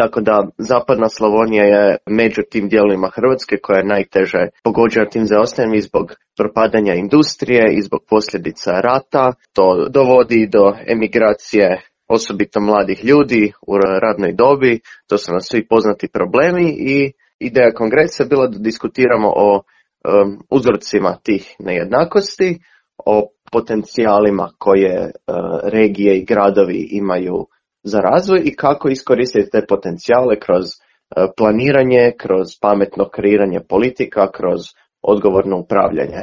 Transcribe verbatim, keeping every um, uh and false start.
tako da zapadna Slavonija je među tim dijelovima Hrvatske koja je najteže pogođena tim zaostajanjem i zbog propadanja industrije i zbog posljedica rata. To dovodi do emigracije osobito mladih ljudi u radnoj dobi. To su nam svi poznati problemi i ideja kongresa je bila da diskutiramo o um, uzrocima tih nejednakosti, o potencijalima koje uh, regije i gradovi imaju za razvoj i kako iskoristiti te potencijale kroz uh, planiranje, kroz pametno kreiranje politika, kroz odgovorno upravljanje.